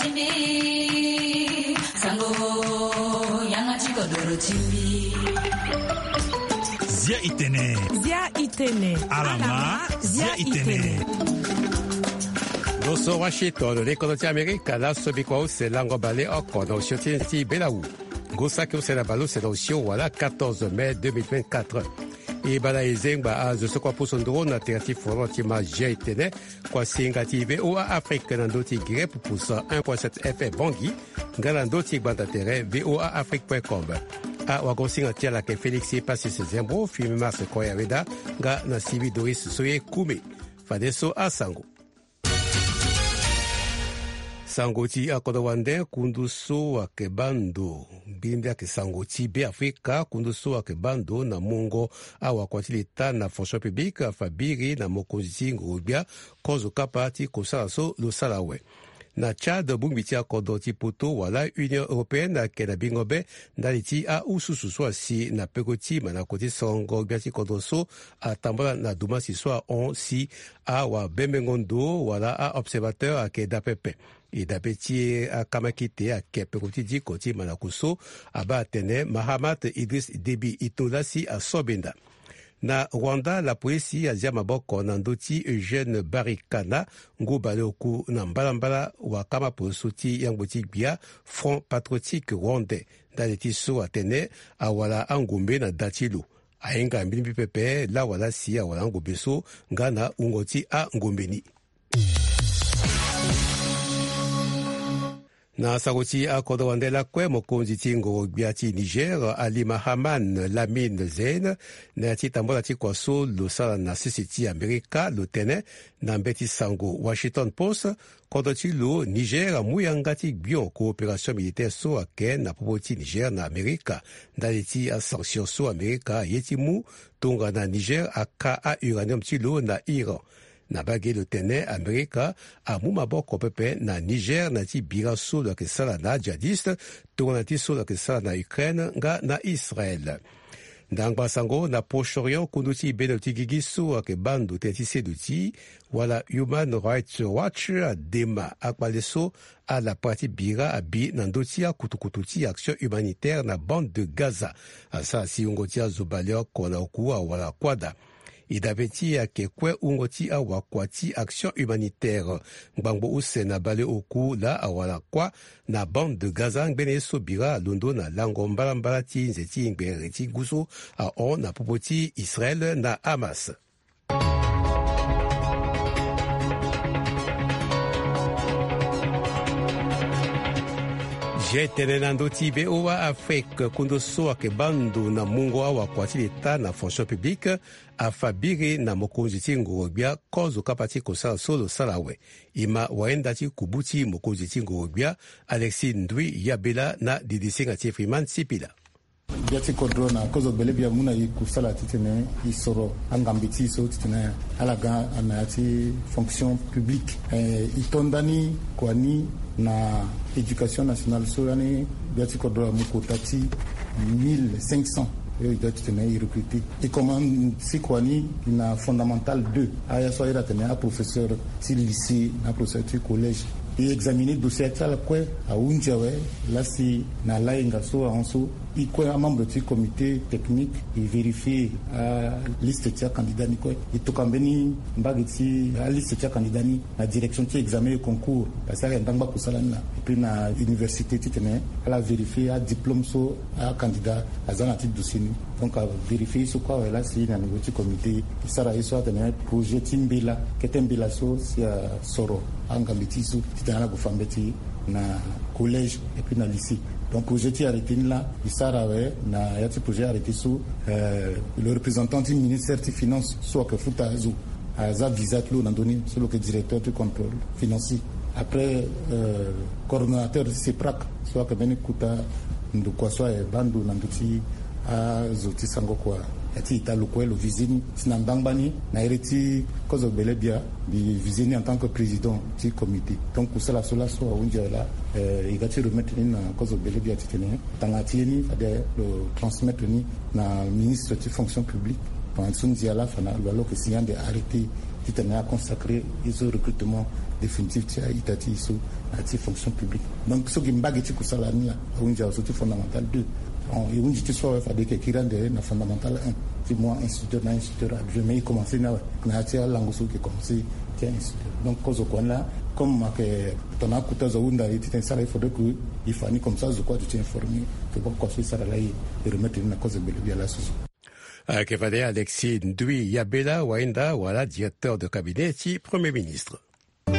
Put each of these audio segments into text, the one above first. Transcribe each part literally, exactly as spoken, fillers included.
Zia itene. Zia itene. Alama. Zia itene. Lo so Washington, le kodro ti Amerika, laso bikua use lango baleoko na osio ti nze ti belawu. Ngu saki use na baleuse na osio wala quatorze mai deux mille vingt-quatre. E bala e zengba azo so kua pusu nduru na tere ti forum ti ma Zia itene. Kua singa ti VOA Afrique na ndö ti Guinée pupusa un point sept F M Bangui, nga na ndö ti gbanda tere VOA Afrique point com. Awagosinga ti ala ayeke Félix Passis Zembo, Fimi Mars Koya Weda, nga na Sylvie Doris Soye Kume. Fadeso asango. Sango ti akodro wande, kundu so ayeke baa ndo, mbirimbiri ayeke sango ti Beafrika, kundu so ayeke baa ndo na mungo awakua ti leta na fonction publique afa biri na mokonzi ti ngoro-gbia kozo kapa ti kosala so lo sara awe. Na Tchad, bongbi ti akodro ti poto wala Union Européenne ayeke na bingo be ndali ti ahususu so asi na peko ti mandako ti songo gbia ti kodro so atambula na dumasi so ahon si awabembengo ndo wala a-observateur ayeke daa pepe. E dabe ti akamakite ayeke peko ti diko ti mandako so abaa atene Mahamat Idriss Déby e to laa si aso benda. Na Rwanda, lapolisi azia maboko na ndö ti Eugène Barikana, ngu baleoku na mbalambala, wakama poroso ti yangbo ti gbia Front Patriotique Rwandais, ndali ti so atene awara angombe na da ti lo. Ahinga mbilimbili pepe lawala si awara angombe so nga na wungo ti angombe ni. Na sango ti akodro wande lakue, mokonzi ti ngoro-gbia ti Niger, Ali Mahaman Lamine Zein, na ya ti tambula ti kua so lo sara na sese ti Amerika, lo tene na mbeti sango Washington Post, kodro ti lo Niger amu yanga ti gbion coopération militaire so ayeke na popo ti Niger na Amerika, ndali ti asanction so Amerika aye ti mu tongana Niger aka a-uranium ti lo na Iran. Na mbage lo tene Amerika amu maboko pepe na Niger na ya ti bira so lo yeke sara na ajihadiste, tongana ti so lo yeke sara na Ukraine nga na Israël. Ndangba sango na Proche-Orient, kundu ti bendo ti gigi so ayeke baa ndo tënë ti seduti wala Human Rights Watch adema akpale so ala pra ti bira abi na ndö ti akutukutu ti action humanitaire na bande de Gaza. Asara si wungo ti azo baleoko na oku awara kuâ daa. E dabe ti e ayeke kue wungo ti awakua ti action humanitaire. Ngbangbo use na baleoku laa awara kuâ na bande de Gaza ngbene ye so bira alondo na lango mbalambala ti nze ti ngbere ti ngu so ahon na popo ti Israël na Hamas. Zia e tene na ndö ti VOA Afrique, kundu so ayeke baa ndo na mungo awakua ti leta na fonction publique afa biri na mokonzi ti ngoro-gbia kozo kapa ti kosala so lo sara awe. E ma wayenda ti kubu ti mokonzi ti ngoro-gbia, Alexis Ndui Yabela, na didisinga ti Freeman Sipila. Gbia ti kodro na kozo gbele bia amu na e kusala titene e soro angambe ti e so titene ala ga na ya ti fonction publique. Eh, e to ndani kua ni na éducation nationale so lani gbia ti kodro amu kota ti mille cinq cents. Yo e doit titene e recruter. E commence kua ni na fondamental deux, aya so ayeda tene aprofesseur ti lycée na aprofesseur ti collège. E examiner dossier ti ala kue ahunzi awe. Lasi na layenga so ahon so, e kue amembre ti comité technique e vérifier aliste ti acandidat ni kue. E tokua mbeni mbage ti aliste ti acandidat ni na direction ti examen et concours, parce que ala yeke ndangba kusala ni laa. Et puis na université titene ala vérifier adiplôme so acandidat aza na ya ti dossier ni. Donc avérifier ye so kue awe lasi na niveau ti comité e sara ye so atene projet ti mbela, kete mbela so si asoro angambe ti e so titene ala gue fa mbeti na collège et puis na lycée. Donc projet ti arrêté ni laa e sara awe na ya ti projet arrêté so, euh, le représentant ti ministère ti finance so ayeke futa azo aza visa ti lo na ndö ni, so lo yeke directeur ti contrôle financier. Après, euh, coordonnateur ti CEPRAC so ayeke mbeni kota ndokua so aye baa ndo na ndö ti azo ti sango kua. Ya ti ita lo kue lo visé ni si na ngbangba ni na iri ti kozo gbele bia, mbi visé ni en tant que président ti comité. Donc kusala so laso ahunzi awe laa, euh, e ga ti remettre ni na kozo gbele bia titene tanga ti ye ni fade lo transmettre ni na ministre ti fonction publique. Pendant so ndia laa fa na lo aloke si ande arrêté titene aconsacré ye so recrutement définitif ti a-ita ti e so na ya ti fonction publique. Donc so gi mbage ti kusala ni laa ahunzi awe so ti fondamental deux. E hunzi ti so awe fade e yeke kiri ande na fondamental un ti mu a-instituteur na a-instituteur adjoint, mais e commencé ni awe na ya ti alango so e yeke commencé ti a-instituteur. Donc kozo kua ni laa, comme ayeke tongana akota zo ahunda e titene e sara, il faudrait que e fa ni comme ça zo kue aduti informé. Ke boko kua so e sara laa e remettre ni na kozo gbele bia laso so. Ayeke fade Alexis Ndui Yabela Wainda wala directeur de cabinet ti Premier ministre. E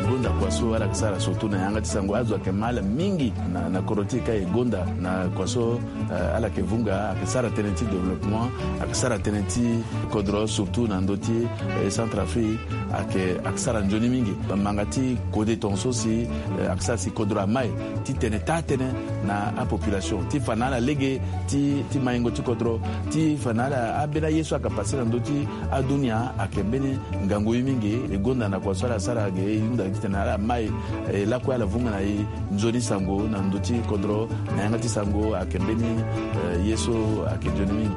gonda kua so ala yeke sara surtout na yanga ti sango, azo ayeke ma ala mingi na, na kodro ti e ka e gonda na kua so, eh, ala yeke vunga, ayeke sara tënë ti développement, ayeke sara tënë ti kodro surtout na ndö ti, eh, Centrafrique, ayeke, ayeke sara nzoni mingi. Manga ti kode tongaso si, eh, ayeke sara si kodro amai titene taa tënë na apopulation ti fa na ala lege ti, ti maingo ti kodro, ti fa na ala ambeni aye so ayeke passé na ndö ti adunia ayeke mbeni ngangu ye mingi. E gonda na kua so ala sara ge, e hunda titene ala mai, eh, lakue ala vunga na e nzoni sango na ndö ti kodro na yanga ti sango ayeke mbeni, eh, ye so ayeke nzoni mingi.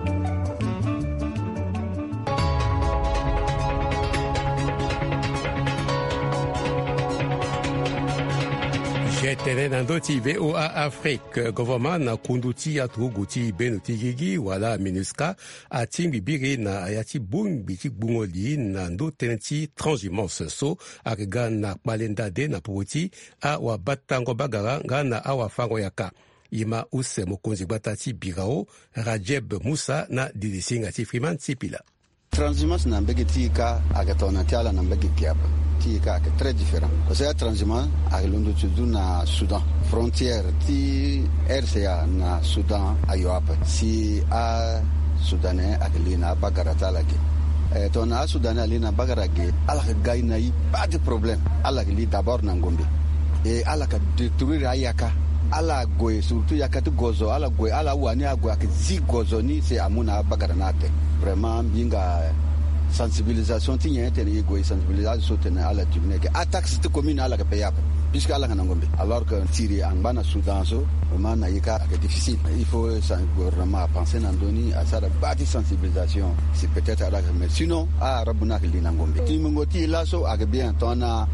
Ge tene na ndö ti VOA Afrique, gouvernement na kundu ti aturugu ti beno ti gigi wala MINUSCA atingbi biri na ya ti bongbi ti gbungo li na ndö tënë ti transhumance so ayeke ga na kpale ndade na popo ti awabatango bagara nga na awafango yaka. E ma use mokonzi gbata ti birao Radjeb Moussa na dilisinga ti Freeman Sipila. Transhumance na mbage ti e ka ayeke tongana ti ala na mbage gi ape. Ti e ka ayeke très différent. Parce que atranshumance ayeke londo ti duti na Soudan. Frontière ti R C A na Soudan ayo ape. Si aSoudanais ayeke li na abagara ti ala ge. Eh, tongana aSoudanais ali na abagara ge, ala yeke ga e na e baa ti problème. Ala yeke li d'abord na ngombe. E ala yeke détruire ayaka. Ala gue, surtout yaka ti gozo, ala gue, ala wani ague ayeke zi gozo ni si amu na abagara ni ate. Vraiment mbi hinga sensibilisation ti nyen tene e gue e sensibiliser azo so tene ala diminuer ge. Ataxe ti commune ala yeke payer ape. Puisque ala yeke na ngombe. Alors que tiri angba na Soudan so, vraiment na e ka ayeke difficile. Il faut sa gouvernement apenser na ndö ni, asara baa ti sensibilisation. Si peut-être ala yeke, mais sinon aarabu ni ayeke li na ngombe. Ti mungo ti e laso ayeke bien tongana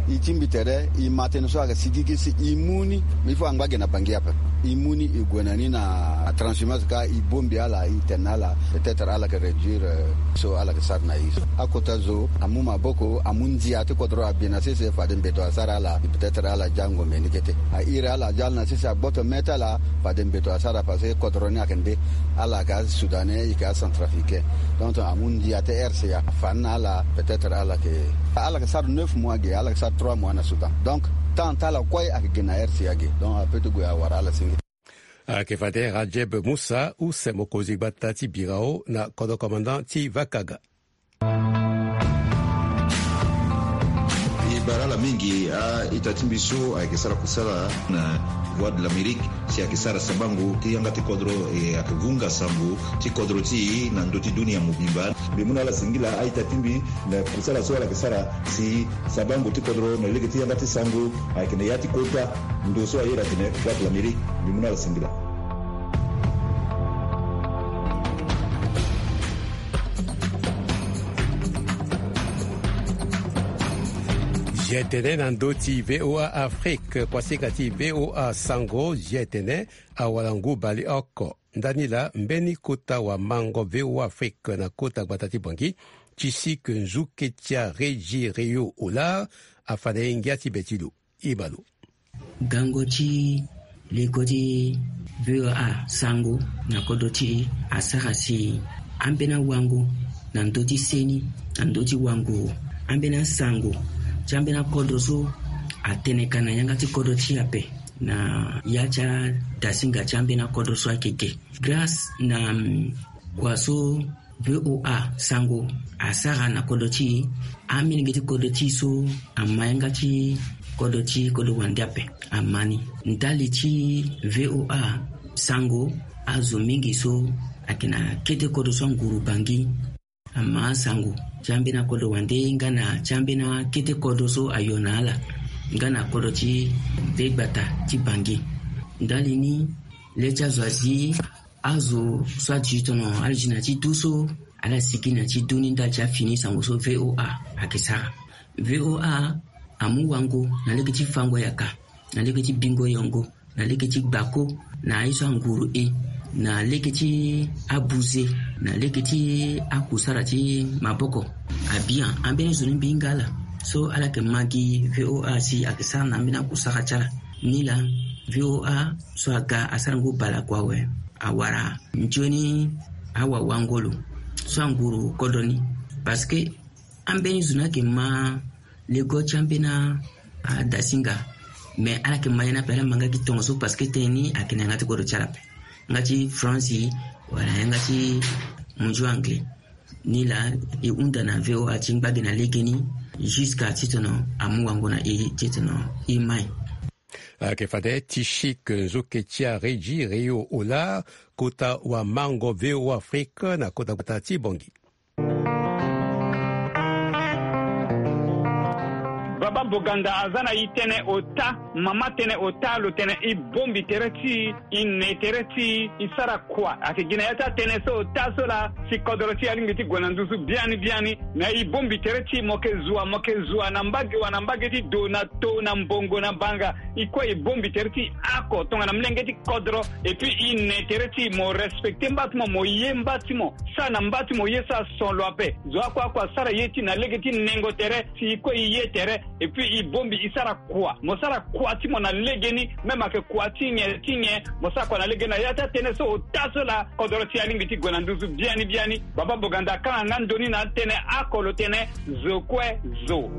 e tingbi tere, e ma tënë so ayeke sigigi si e mu ni. Il faut angba ge na Bangui ape. E mu ni e gue na ni na transhumance ka e bongbi ala, e tene na ala. Peut-être ala yeke réduire, euh, so ala yeke sara na e so. Akota zo amu maboko, amu ndia ti kodro abi na sese, fade mbeto asara ala. Peut-être ala ja ngombe ni kete. A iri ala aja ala na sese, agboto me ti ala, fade mbeto asara parce que kodro ni ayeke nde. Ala yeke aSoudanais, e yeke aCentrafricain. Donc amu ndia ti R C A, afa ni na ala, peut-être ala yeke, ala yeke sara neuf mois ge, ala yeke sara trois mois na Soudan. Donc temps ti ala kue ayeke ge na R C A ge. Donc apeut ti gue awara ala senge. Ayeke fade Radjeb Moussa, use mokonzi gbata ti birao na kodro commandant ti Vakaga. E bara ala mingi a-ita ti mbi so ayeke sara kusala na Voix de l'Amérique, si ayeke sara sabango ti yanga ti kodro, e ayeke vunga sango ti kodro ti e na ndö ti dunia mobimba. Mbi mu na ala singila a-ita ti mbi na kusala so ala yeke sara si sabango ti kodro na lege ti yanga ti sango ayeke na ya ti kota ndo so aye atene Voix de l'Amérique. Mbi mu na ala singila. Ge tene na ndö ti VOA Afrique, kuasinga ti VOA Sango, ge tene awalangu baleoko. Ndani laa mbeni kota wamango VOA Afrique na kota gbata ti Bangui, ti si ke nzuke ti areji Rio Olar, afa na e ngia ti be ti lo. E ma lo. Gango ti leko ti VOA Sango na kodro ti e asara si ambeni awango na ndö ti seni, na ndö ti wango, ambeni asango ti ambeni akodro so atene ka na yanga ti kodro ti e ape, na ya ti adasinga ti ambeni akodro so ayeke ge. Grâce na, mm, kua so VOA Sango asara na kodro ti e, amilenge ti kodro ti e so ama yanga ti kodro ti kodro wande ape, ama ni. Ndali ti VOA Sango, azo mingi so ayeke na kete kodro so anguru Bangui ama asango ti ambeni akodro wande nga na ti ambeni akete kodro so ayo na ala, nga na kodro ti nde gbata ti Bangui. Ndali ni, le ti azo azi Azo so ati tongana ala gi na ti du so, ala sigi na ti du ni ndali ti afini sango so V O A ayeke sara. V O A amu wango na lege ti fango yaka, na lege ti bingo yongo, na lege ti gbako, na ye so anguru e, na lege ti abuze, na lege ti akusara ti maboko. Abian ambeni zo ni mbi hinga ala. So ala yeke ma gi V O A si ayeke sara na ambeni akusara ti ala. Nilaa, V O A so aga asara ngu bale kua awe, awara nzoni awawangolo so anguru kodro ni. Parce que ambeni zo ni ayeke ma lego ti ambeni adasinga. Mais ala yeke ma ye ni ape, ala ma nga gi tongaso parce que tënë ni ayeke na yanga ti kodro ti ala ape. Yanga ti France wala yanga ti mondio anglais. Nilaa, e hunda na V O A ti ngba gi na legeni, jusqu'à titene amu wango na e titene e mai. Ayeke fade ti Chic Nzoke ti Aregi Rio Ola, kota wamango V O A Afrique na kota gbata ti Bangui. Baba Boganda aza na e tënë ota, mama tënë ota, lo tene e bongbi tere ti e, e ne tere ti e, e sara kua. Ayeke gi na ya ti atënë so ota so laa si kodro ti e alingbi ti gue na nduzu biani biani. Na e bongbi tere ti e, mo yeke zua, mo yeke zua na mbage wa, na mbage ti do, na to, na mbongo, na banga. E kue e bongbi tere ti e oko tongana molenge ti kodro. Et puis e ne tere ti e, mo respecte mba ti mo, mo ye mba ti mo. Sara na mba ti mo ye so ason lo ape. Zo oko oko asara ye ti e na lege ti nengo tere, si e kue e ye tere. Et puis e bongbi e sara kua. Mo sara kua ti mo na legeni, même ayeke kua ti nyen ti nyen, mo sara kua na legeni. Na ya ti atënë so ota so laa kodro ti e alingbi ti gue na nduzu biani biani. Baba Boganda akanga nga ndo ni na atënë oko, lo tene zo kue zo.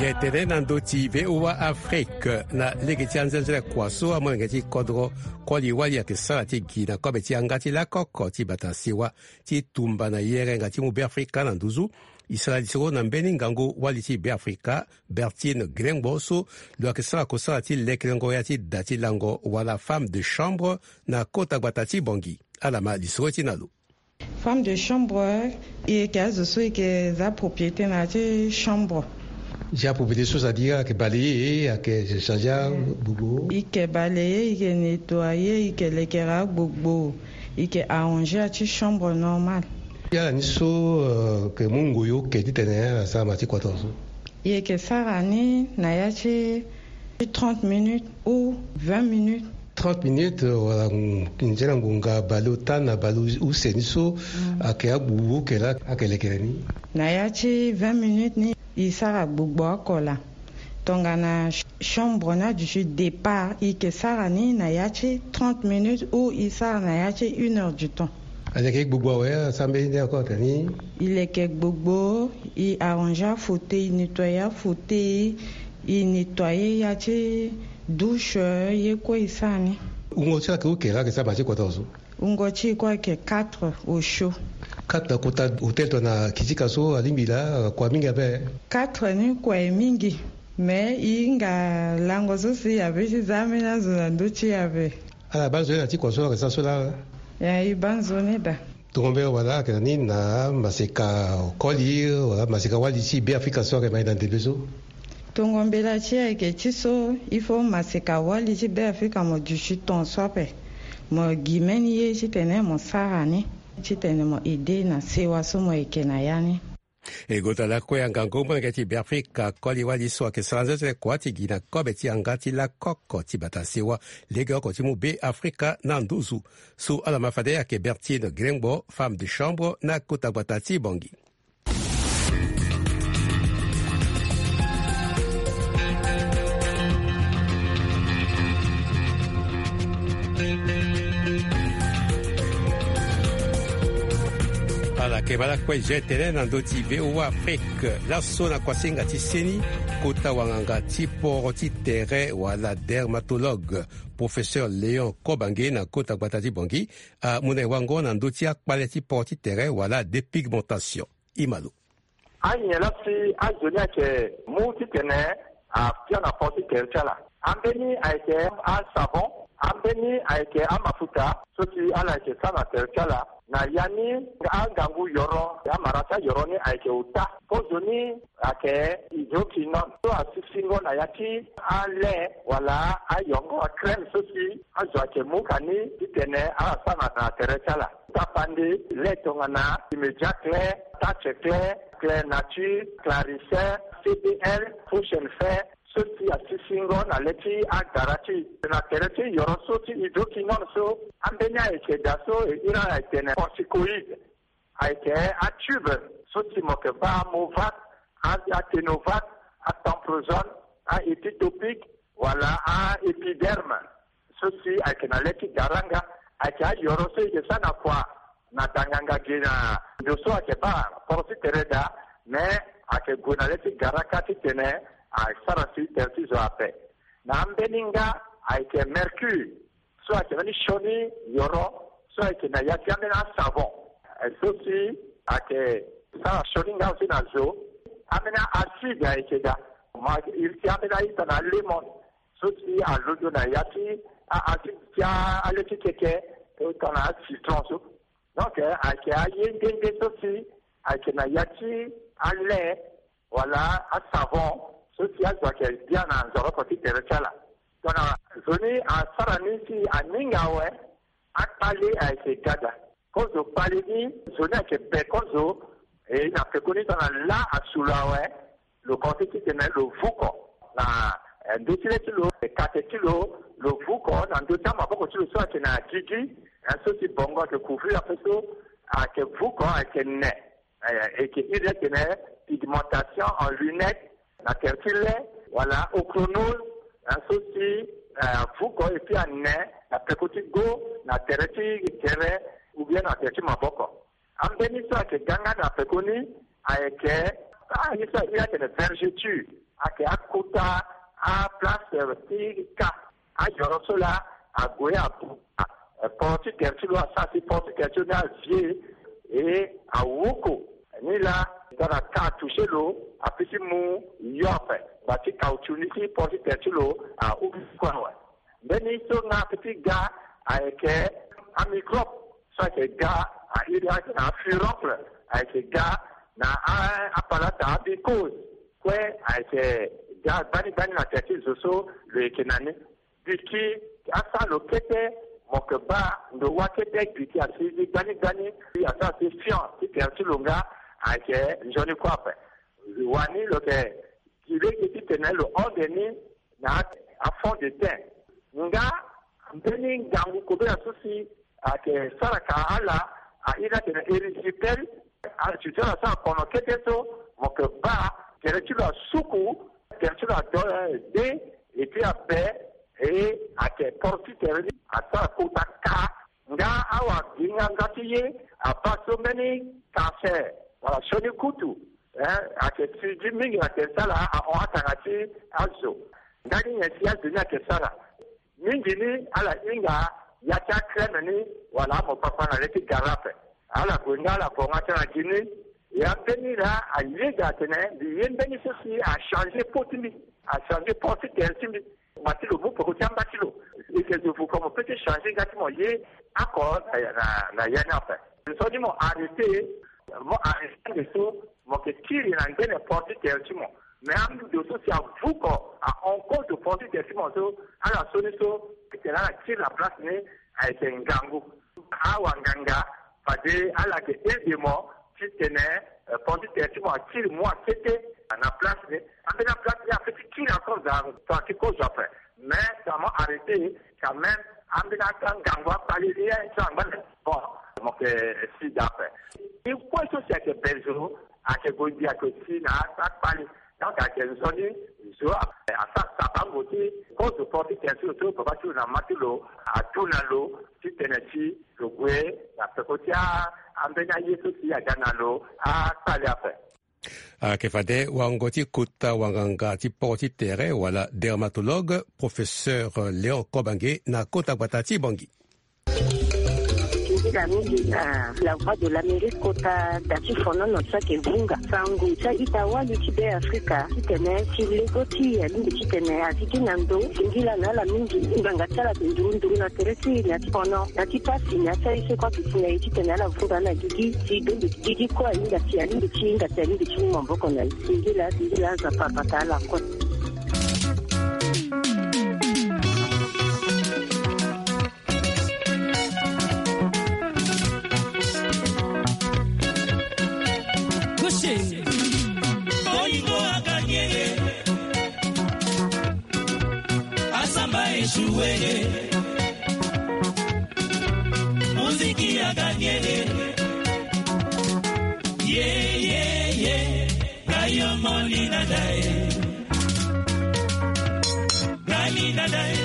Ge tene na ndö ti V O A Afrique na lege ti anzenze kua so amolenge ti kodro koli wali ayeke sara ti gi na kobe ti yanga ti lakoko ti bata sewa ti tumba na yerenga ti mu Beafrika na nduzu. E sara lisoro na mbeni ngangu wali ti Beafrika, Bertine Glengbo, so lo yeke sara kosara ti lekelengo ya ti da ti lango wala femme de chambre na kota gbata ti Bangui. Ala ma lisoro ti na lo. Femme de chambre, e yeke azo so e yeke za propriété na ya ti chambre. Za propriété so, c'est-à-dire ayeke balayer, ayeke changer agbogbo. E yeke balayer, e yeke nettoyer, e yeke lekere agbogbo, e yeke arranger ya ti chambre normal. Ala ni so, euh, yeke mu ngoi oke titene ala sara ma ti kua tongaso? E yeke sara ni na ya ti trente minutes ou vingt minutes. Trente minutes, euh, wala, mm, nzena ngonga baleota na baleuse ni so, mm, ayeke agbogbo oke laa ayeke lekere ni. Na ya ti vingt minutes ni e sara gbogbo oko laa. Tongana ch-, chambre ni aduti départ, e yeke sara ni na ya ti trente minutes ou e sara na ya ti une heure du temps. Aleke gbogbo awe, asara mbeni nde encore tani? E leke gbogbo, e arranger afauteuil, e nettoyer afauteuil, e nettoyer ya ti douche, ye kue e sara ni. Wungo ti ala ayeke oke laa ayeke sara ma ti kota so? Wungo ti e kue ayeke quatre au chaud. Quatre na kota hôtel tongana kitika so alingbi laa, kua mingi ape? Quatre ni kua e mingi. Mais e hinga lango so si e abi ti za ambeni azo na ndö ti e ape. Ala baa nzoni na ti kua so ayeke sara so laa? Ya, e baa nzoni daa. Tongo mbela wala ayeke na ni na maseka koli wala maseka wali ti Beafrika so ayeke ma e na ndembe so? Tongo mbela ti e ayeke ti so, il faut maseka wali ti Beafrika mo duti ton so ape. Mo gi mbeni ye titene mo sara ni, titene mo aider na sewa so mo yeke na ya ni. E gota lakue angangu molenge ti Beafrika koli wali so ayeke sara nzenzele kua ti gi na kobe ti yanga ti lakoko ti bata sewa legeoko ti mu Beafrika na nduzu. So ala ma fade ayeke Bertine Glengbo, femme de chambre na kota gbata ti Bangui. Ala yeke ma lakue ge tene na ndö ti V O A Afrique. Laso na kuasinga ti seni, kota wanganga ti poro ti tere wala dermatologue, professeur Léon Kobange na kota gbata ti Bangui, amu na e wango na ndö ti akpale ti poro ti tere wala dépigmentation. Imalo. Anyen laa si azo ni ayeke mu titene Abia na port ti tere ti ala. Ambeni ayeke asavon. Ambeni ayeke amafuta so si ala yeke sara na tere ti ala. Na ya ni angangu yoro, amara ti ayoro ni ayeke ota. Kozo ni ayeke hydroquinone so asisingo na ya ti ale wala ayongo, acrème so si azo ayeke mu ka ni titene ala sara na tere ti ala. Tapande lait tongana Immédiat Clair, Touch Clair, Clair Nature, Clarissin, C B L, Fusion Fer, so si asisingo na le ti agara ti e. Na tere ti yoro so ti hydroquinone so, ambeni ayeke daa so e iri ala etene corticoïde. Ayeke atube so si mo yeke baa Movat, a-, aTenovat, aTemprozone, aEpitopic wala aEpiderme. So si ayeke na le ti gara nga, ayeke ayoro so e yeke sara na kua na danganga gi na ndo so ayeke baa port ti tere daa, me ayeke gue na le ti gara kâ titene asara si tere ti zo ape. Na ambeni nga ayeke mercure so ayeke mbeni sioni yoro so ayeke na ya ti ambeni asavon. Eh, so si ayeke sara sioni nga aussi na zo. Ambeni acide ayeke daa. Ma iri ti ambeni aita na lemon so si alondo na ya ti a-, acide ti a-, ale ti keke, eh, tongana acitron so. Donc, eh, ayeke aye nde nde so si ayeke na ya ti ale wala asavon so si azo ayeke bia na nzoroko ti tere ti ala. Tongana zo ni asara ni si aninga awe, akpale ayeke ga daa. Kozo kpale ni, zo ni ayeke be kozo, e na pekoni tongana lâ asu lo awe, lo koti titene lo vuko na, eh, ndö ti le ti lo, eh, kate ti lo, lo vuko na ndö ti amaboko ti lo so ayeke na gigi, eh, so si bongo ayeke couvrir ape so, ayeke vuko, ayeke ne. Eh, e yeke iri atene pigmentation en lunette, na tere ti le, wala ochronose, eh, so si, eh, avuko et puis ane na peko ti go, na tere ti tere, ou bien na tere ti maboko. Ambeni so ayeke ga nga na peko ni, ayeke, ah, ni so a iri atene vergeture, ayeke akota, aplace, eh, ti ka. Ayoro so laa ague abu, eh, port ti tere ti lo, asara si port ti tere ti lo ni avie, e awuku. Ni laa tongana ka atoucher lo, apui ti mu yo ape, ngba ti caoutchouc ni ti port ti tere ti lo, a, ahuku awe. Mbeni so nga ape ti ga ayeke amicrobe so ayeke ga, a iri atene afuroncle, ayeke ga na a, apalata, amicose. Kue ayeke ga gbani gbani na tere ti zo so lo yeke na ni. Gbi ti asara lo kete, mo yeke baa ndo wa kete gbi ti asi gbani gbani, ti asara ti fion ti tere ti lo nga ayeke nzoni kue ape. Wani lo yeke gi lege titene lo hon de ni na afond de teint. Nga mbeni ngangu kobela so si ayeke sara ka ala, a iri atene erysipelas, a, si ti ala asara kono kete so, mo yeke baa tere ti lo asuku, tere ti lo ado, eh, de, et puis abe, e ayeke port ti tere ni asara kota ka. Nga awa gi nga nga ti ye, abaa so mbeni cancer wala sioni kutu, eh, ayeke sigi mingi na tere ti ala, ahon atanga ti azo. Ndani nyen si azo ni ayeke sara? Mingi ni ala hinga ya ti acrème ni wala amopapa na le ti gara ape. Ala gue nga ala gonga ti ala gi ni. Ya mbeni laa ayeda atene mbi ye mbeni so si achanger peau ti mbi, achanger port ti tere ti mbi. Ngba ti lo mu peko ti amba ti lo. E yeke zo vuko, mo peut ti changer nga ti mo ye oko na, na, na ya ni ape. Nzoni mo arrêter, mo arrêter ande so mo yeke kiri na ngbene port ti tere ti mo. Mais ando so si avuko, ahon kozo port ti tere ti mo so, ala so ni so, titene ala kiri na place ni, ayeke ngangu. Awanganga fade ala yeke aide mo titene, eh, port ti tere ti mo akiri mua kete na place ni. Ambeni aplace ni apeut ti kiri encore, za, tongana ti kozo ape. Mais tongana mo arrêter quand même, ambeni aka ngangu akpale ni, eh, so angba na bon, mo yeke si daa ape. E kue so si ayeke be zo, ayeke gue ngbi, ayeke si na akpale. Donc ayeke nzoni zo asara sabango ti kozo port ti tere ti lo so papa ti lo na mama ti lo adu na lo titene ti lo gue na peko ti a, ambeni aye so si aga na lo akpale ape. Ayeke fade wango ti kota wanganga ti port ti tere wala dermatologue, professeur Léon Kobange na kota gbata ti Bangui. Mingi na La Voix de l'Amérique kota da ti fonono ti ayeke vunga sango ti a-ita wali ti Be Afrika titene ti lego ti alingbi titene azi gi na ndo singila na ala mingi. Ngbanga ti ala ayeke nduru nduru na tere ti na ti fono na ti pasi na ya ti aye so kue ayeke si na e titene ala vunga na gigi ti bembe gigi kue ahinga si alingbi ti hinga si alingbi ti mu maboko na e. Singila singila aza papa ta ala kue. Bolingo aganye ye. Asamba échoué ye. Muziki aganye ye. Ye ye ye. Gayo moli na dae. Gani na dae.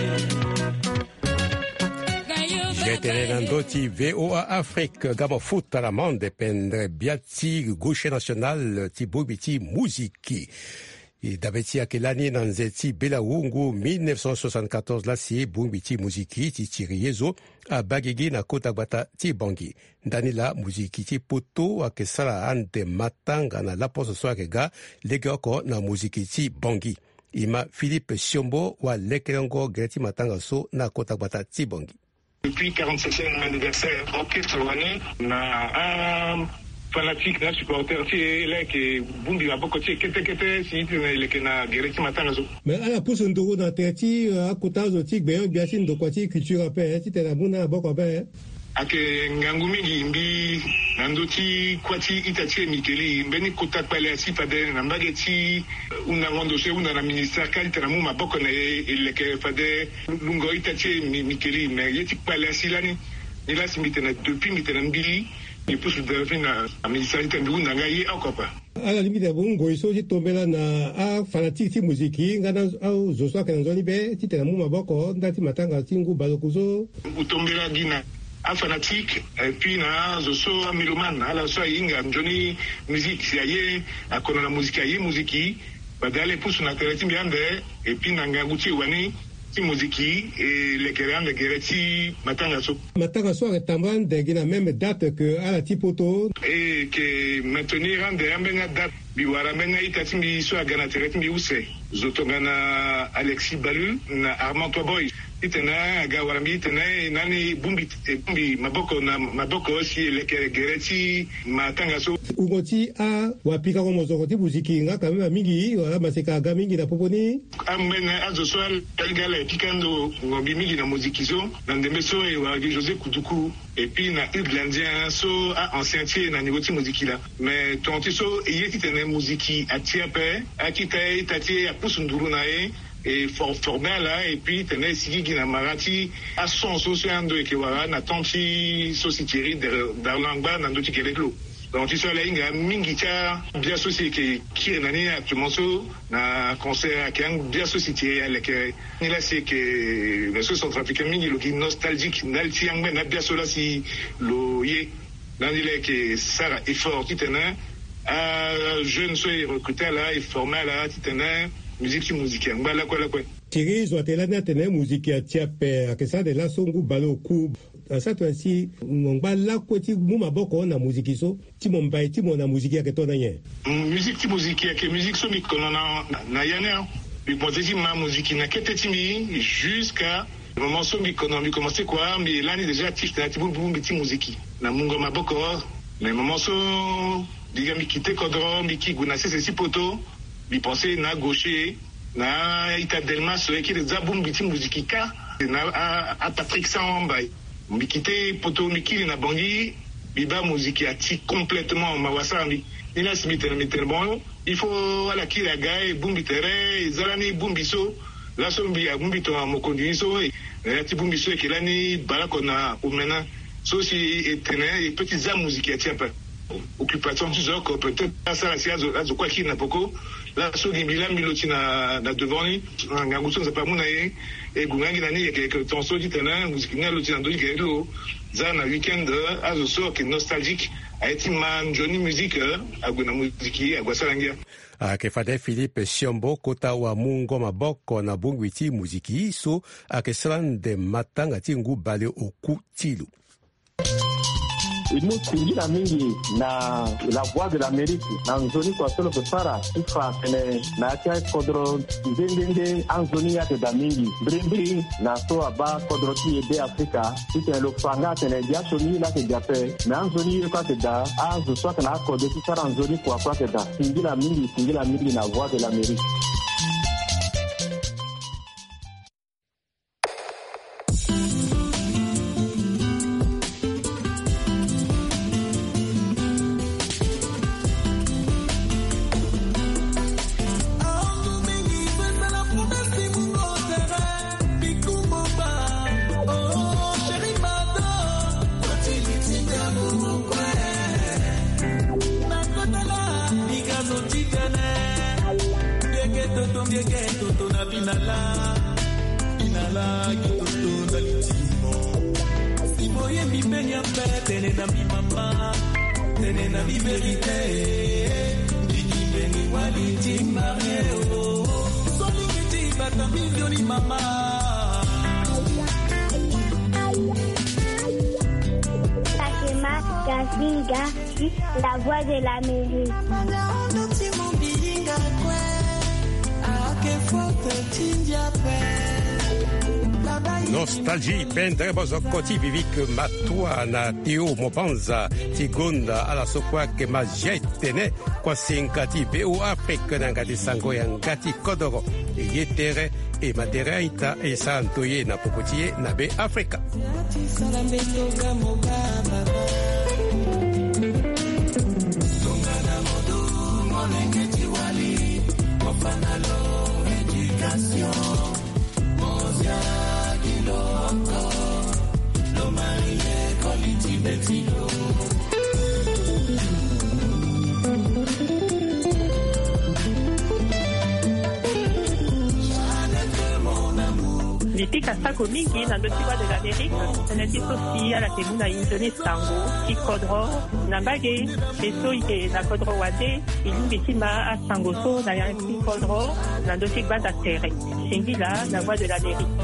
Getene na ndö ti V O A Afrique, ga mafuta na mande pendere bia ti gauche national ti bongbi ti muziki. E dabe ti ayeke lani na nze ti bela wu ngu mille neuf cent soixante-quatorze laa si bongbi ti muziki ti tiri ye zo abaa gigi na kota gbata ti Bangui. Ndani laa muziki ti poto ayeke sara ande matanga na laposo so ayeke ga legeoko na muziki ti Bangui. E ma Philippe Siombo wa lekerengo gere ti matanga so na kota gbata ti Bangui. Depuis quarante-septième anniversaire orchestre wani na afanatique na supporter ti e laa ayeke bongbi maboko ti e kete kete si titene e leke na gere ti matanga so. Mais ala pusu nduru na tere ti, euh, akota azo ti gbenyo-gbia ti ndokua ti culture ape, eh, titene amu na maboko ape, eh. Ayeke ngangu mingi mbi na ndö ti kuâ ti ita ti e Mickey Lee, mbeni kota kpale asi fade na mbage ti hundango ndo so e hunda na ministère kâ titene amu maboko na e e leke fade lungo ita ti e Mi-, Mickey Lee. Mais ye ti kpale asi lani, ni laa si mbi tene depuis mbi tene mbi, mbi pusu depuis na ministère titene mbi hunda nga ye oko ape. Ala lingbi tene amu ngoi so ti tombela na afanatique ti muziki nga na azo so ayeke na nzoni be titene amu maboko ndali ti matanga ti ngu baleoku so. Tombela gi na afanatique, et puis na azo so amélomane, ala so ahinga nzoni musique si aye, akono na muziki, aye muziki. Fade ala e pusu na tere ti mbi ande, et puis na ngangu ti e wani ti muziki e lekere ande gere ti matanga so. Matanga so ayeke tambula ande gi na même date que ala ti poto. E yeke maintenir ande ambeni adate. Mbi wara ambeni a-ita ti mbi so aga na tere ti mbi use. Zo tongana Alexis Balu na Armand Toboy. Titene aga wara mbi titene e nani e bongbi, e bongbi maboko na maboko si e leke gere ti matanga so. Wungo ti awapikango mozoko ti muziki nga quand même amingi, wala maseka aga mingi na popo ni. Ambeni azo so ala, ala yeke pika ndo ngombi mingi na moziki so, na ndembe so e wara gi José Kuduku, et puis na Hugues Landien so a-ancien ti e na niveau ti moziki laa. Mais tonga ti so e ye titene moziki atia ape, akita ye, ita ti e apusu nduru na e, e for-, forme ala, et puis tene e sigi gi na mara ti ason so, so ando e yeke wara na temps ti so si Thierry Dar-, Darlan angba na ndö ti gere ti lo. Donc ti so ala hinga mingi ti abia so si e yeke kiri na ni actuellement so na concert ayeke abia so si ti e aleke ni laa si e yeke, mais so centrafricain mingi lo gi nostalgique ndali ti angbene abia so laa si lo ye. Ndali laa e yeke sara effort titene ajeune so e recruter ala, e former ala titene musique ti muziki angba lakue lakue. Thierry, zo atene lani atene muziki atia ape, ayeke sara ande laso ngu baleoku. Asara tongana si mo ngba lakue ti mu maboko na muziki so, ti mo mbai ti mo na muziki ayeke to na nyen? Mm, musique ti muziki ayeke musique so mbi kono na, na, na ya ni. Mbi komanse ti ma muziki na kete ti mbi jusqu'à moment so mbi kono, mbi komanse kua, mbi lani déjà actif na ya ti bongbi ti muziki na mungo maboko. Mais moment so mbi ga mbi kite kodro, mbi ki gue na sese ti poto, mbi pense na gaucher, na ita Delmas so e kiri za bongbi ti muziki kâ, na a, a Patrick Samba. Mbi kite poto, mbi kiri na Bangui, mbi baa moziki ati complètement, mawa asara mbi. Ni laa si mbi tene, mbi tene bon, il faut ala kiri aga e bongbi tere, e za lani bongbi so. Laso mbi abongbi tongana mokonzi ni so, e, na ya ti bongbi so e yeke lani baleoko na omena. So si e tene e peut ti za moziki ati ape. Occupation ti zo oko peut-être asara si azo, azo kue akiri na peko. Laso gi mbi laa mbi lo ti na, na devant ni, na ngangu so Nzapa amu na e, e gue nga gi na ni yeke, yeke tongaso titene moziki ni alo ti na ndö ti gere ti lo. Za na week-end, azo so ayeke nostalgique, aye ti ma nzoni musique, ague na moziki, ague asara ngia. Ayeke fade Philippe Siombo, kota wamungo maboko na bongbi ti moziki so ayeke sara ande matanga ti ngu baleoku ti lo. E mu singila mingi na La Voix de l'Amérique na nzoni kua so lo yeke sara ti fa atene na ya ti akodro nde nde nde anzoni ayeke daa mingi. Mbirimbiri na so abaa kodro ti e Be Afrika titene lo fa nga atene dia sioni ye laa ayeke daa ape, me anzoni ye kue ayeke daa. Azo so ayeke na akode ti sara nzoni kua kue ayeke daa. Singila mingi, singila mingi na Voix de l'Amérique. Toto na binala, binala kitoto na litimo. Si boye mbi mbeni ape tene na mbi mama, tene na mbi verite. Ndiki mbeni wali ti marie o. Solingi ti bata mbi nzoni mama. Fatima Gazinga, La Voix de l'Amérique. Nostalgie, pendere bozoko ti Vivic Matua na Théo Mobanza ti gonda ala so kue ayeke ma G T N, kuasinga ti V O A Afrique na yanga ti sango yanga ti kodoro. E ye tere e ma tere a-ita e sara ndoye na popo ti e na Be Afrika. Mbi pika sako mingi na ndö ti Voix de l'Amérique, tënë ti so si ala yeke mu na e nzoni sango ti kodro na mbage. E so e yeke na kodro wande, e lingbi ti ma asango so na yanga ti kodro na ndö ti gbanda tere. Singila na Voix de l'Amérique.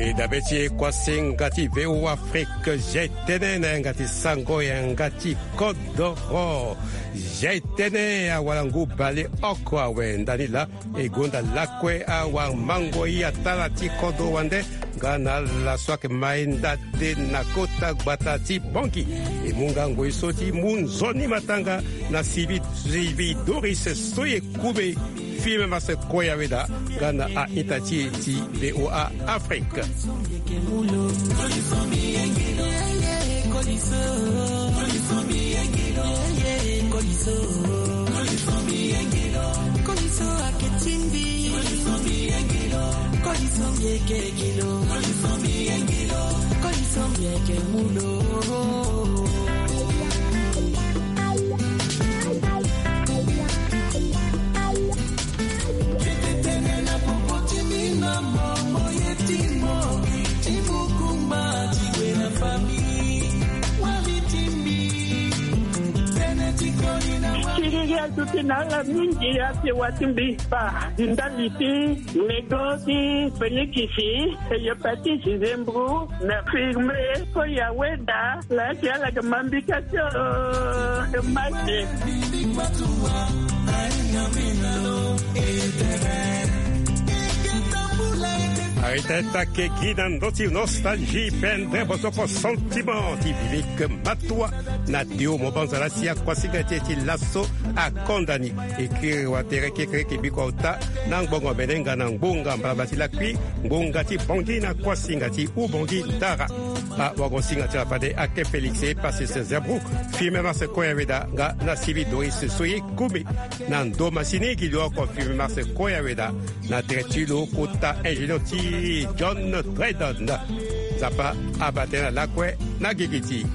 E dabe ti e kuasinga ti V O A Afrique, G T N na yanga ti sango yanga ti kodoro. G T N, awara ngu bale oko awe ndani laa. E gonda lakue awamango ye atala ti kodro wande nga na ala so ayeke ma e ndade na kota gbata ti Bangui. E mu nga ngoi so ti mu nzoni matanga na sivi, sivi Doris so e kume. Fimem ase koya weda nga na a-ita ti e ti V O A Afrique. Ti gi azo ti na ala mingi ase wa ti mbi fa ndali ti nego ti fenikisi, hepatite, zembro, na firme. Koya weda la ti ala ga mambika ti o mate. Arita eta ke gi na ndö ti nostalgie, pendere bozoko sentiment ti Vivic Matua na Théo Mobanza la si akuasinga ti e ti laso akonda ni. E kiri watere kekereke biko ota na ngbonga mene nga na ngbonga mbalambala ti lakui, ngbonga ti Bangui na kuasinga ti Ubangui Dara. Awagosinga ti ala fade ake Félix e pase se zebro. Firme mase koya weda nga na sivi Doris so ye kume. Na ndo masini gi lo oko firme mase koya weda na tere ti lo kota ingénieur ti John Dredon. Nzapa abaa tënë na lakue na gigi ti